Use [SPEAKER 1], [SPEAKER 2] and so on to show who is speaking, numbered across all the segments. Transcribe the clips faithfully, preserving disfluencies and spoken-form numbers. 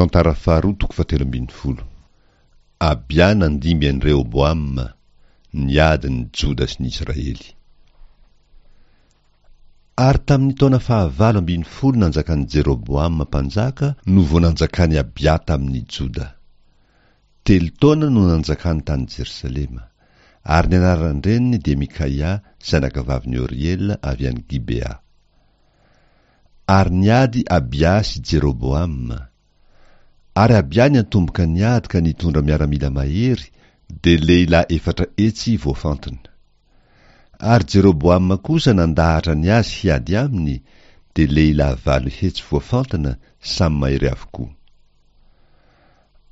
[SPEAKER 1] Tantara faharoa toko fahatelo ambin'ny folo. Abia nandimby an'i Rehoboama, niady ny Joda sy ny Israely. Ary tamin'ny taona fahavalo ambin'ny folo nanjakan'i Jeroboama mpanjaka no vao nanjakan'i Abia tamin'ny Joda. Telo taona no nanjakany tany Jerosalema. Ary ny anaran-dreniny dia Mikaia, zanakavavin'i Oriela avy any Gibea. Ary niady Abia sy Jeroboama. Ary Abia niantomboka niady ka nitondra miaramila mahery, dia lehilahy efatra hetsy voafantina. Ary Jeroboama kosa nandahatra ny azy hiady aminy, dia lehilahy valo hetsy voafantina, samy mahery avokoa.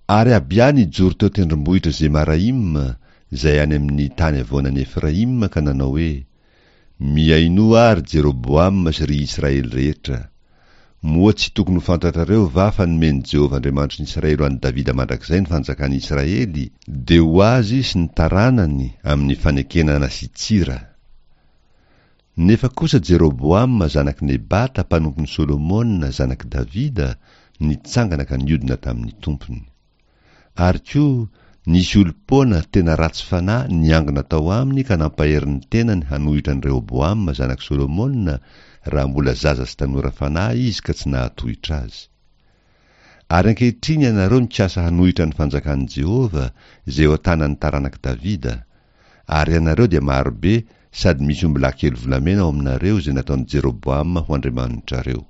[SPEAKER 1] Ary Abia nijoro teo tendrombohitra Zemaraima, izay any amin'ny tany havoanan'i Efraima, ka nanao hoe: Mihainoa àry Jeroboama sy ry Israely rehetra! Moa tsy tokony ho fantatrareo va fa nomen'i Jehovah Andriamanitry ny Israely ho an'i Davida mandrakizay ny fanjakan'i Israely, dia ho azy sy ny taranany amin'ny fanekena nasian-tsira? Nefa kosa Jeroboama zanak'i Nebata mpanompon'i Solomona zanak'i Davida nitsangana ka niodina tamin'ny tompony. Ary koa, nisy olom-poana tena ratsy fanahy niangona tao aminy ka nampahery ny tenany hanohitra an'i Rehoboama zanak'i Solomona raha mbola zaza sy tanora fanahy izy ka tsy nahatohitra azy. Ary ankehitriny ianareo mikasa hanohitra ny fanjakan'i Jehovah izay eo an-tanan'ny taranak'i Davida, ary ianareo dia marobe sady misy ombilahy kely volamena ao aminareo izay nataon'i Jeroboama ho andriamanitrareo.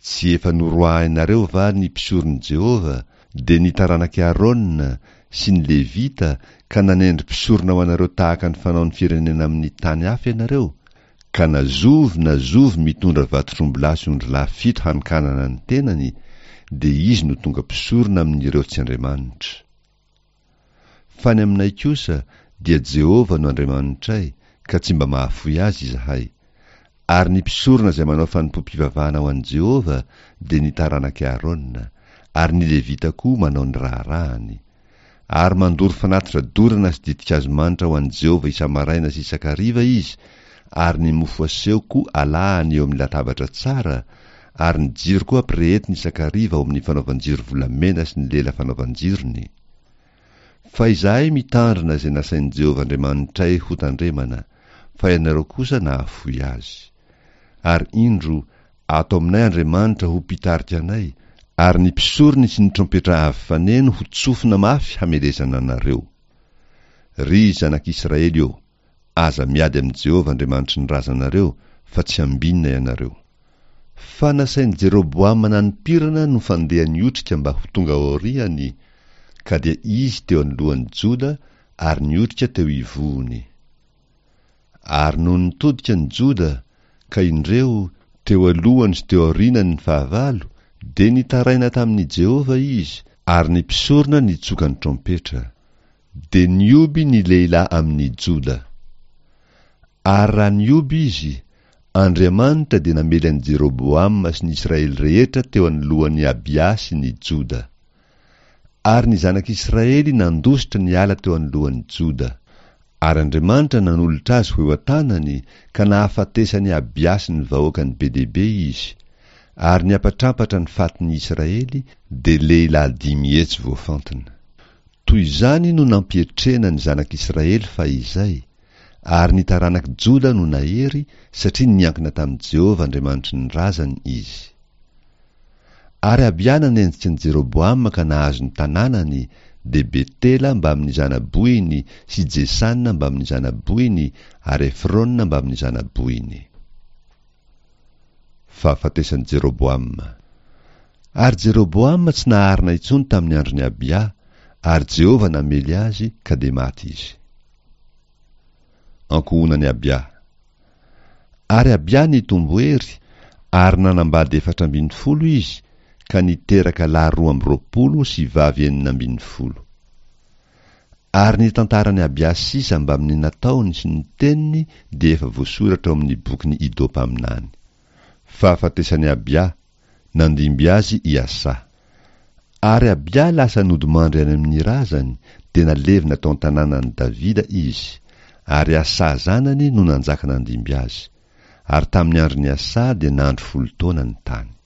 [SPEAKER 1] Tsy efa noroahinareo va ny mpisoron'i Jehovah, dia ny taranak'i Arona sy ny Levita, ka nanendry mpisorona ho anareo tahaka ny fanaon'ny firenena amin'ny tany hafa ianareo, ka na zovy na zovy mitondra vatotr'ombilahy sy ondrilahy fito hanokanana ny tenany, dia izy no tonga mpisorona amin'ireo tsy andriamanitra. Fa ny aminay kosa, dia Jehovah no Andriamanitray, ka tsy mba mahafoy azy izahay. Ary ny mpisorona izay manao fanompoam-pivavahana ho an'i Jehovah dia ny taranak'i Arona, ary ny Levita koa manao ny raharahany. Ary mandoro fanatitra dorana sy ditin-kazo manitra ho an'i Jehovah isa-maraina sy isan-kariva izy, ary ny mofo aseho koa alahany eo amin'ny latabatra tsara, ary ny jiro koa ampirehetiny isan-kariva ao amin'ny fanaovan-jiro volamena sy ny lela fanaovan-jirony. Fa izahay mitandrina izay nasain'i Jehovah Andriamanitray hotandremana, fa ianareo kosa nahafoy azy. Ary indro, ato aminay Andriamanitra ho mpitarika anay, ary ny mpisorony sy ny trompetra avo faneno ho tsofina mafy hamelezana anareo. Ry zanak'Israely ô, aza miady amin'i Jehovah Andriamanitry ny razanareo, fa tsy hambinina ianareo. Fa nasain'i Jeroboama nanimpirana no fandeha niotrika mba ho tonga aoriany, ka dia izy teo anoloan'i Joda ary niotrika teo ivohony. Ary nony nitodika ny Joda, ka indreo, teo alohany sy teo aorianany ny fahavalo, dia nitaraina tamin'i Jehovah izy, ary ny mpisorona nitsoka ny trompetra. Dia nihoby ny lehilahy amin'ny Joda. Ary raha nihoby izy, Andriamanitra dia namely an'i Jeroboama sy ny Israely rehetra teo anoloan'i Abia sy ny Joda. Ary ny zanak'Israely nandositra niala teo anoloan'i Joda. Ary Andriamanitra nanolotra azy ho eo an-tanany, ka nahafatesan'i Abia sy ny vahoakany be dia be izy. Ary niampatrampatra ny fatin'ny Israely, dia lehilahy dimy hetsy voafantina. Toy izany no nampietrena ny zanak'Israely fahizay, ary ny taranak'i Joda no nahery, satria niankina tamin'i Jehovah Andriamanitry ny razany izy. Ary Abia nanenjika an'i Jeroboama ka nahazo ny tanànany, dia Betela mbamin'ny zana-bohiny sy Jesana mbamin'ny zana-bohiny ary Efrona mbamin'ny zana-bohiny. Fahafatesan'i Jeroboama. Ary Jeroboama tsy naharina intsony tamin'ny andron'i Abia, ary Jehovah namely azy ka dia maty izy. Ankohonan'i Abia. Ary Abia nitombo hery, ary nanambady efatra ambin'ny folo izy, ka niteraka lahy roa amby roapolo sy vavy enina ambin'ny folo. Ary ny tantaran'i Abia sisa mbamin'ny nataony sy ny teniny dia efa voasoratra ao amin'ny bokin'i Ido mpaminany. Fahafatesan'i Abia, nandimby azy i Asa. Ary Abia lasa nodimandry any amin'ny razany, dia nalevina tao an-tanànan'i Davida izy, ary Asa zanany no nanjaka nandimby azy. Ary tamin'ny andron'i Asa dia nandry folo taona ny tany.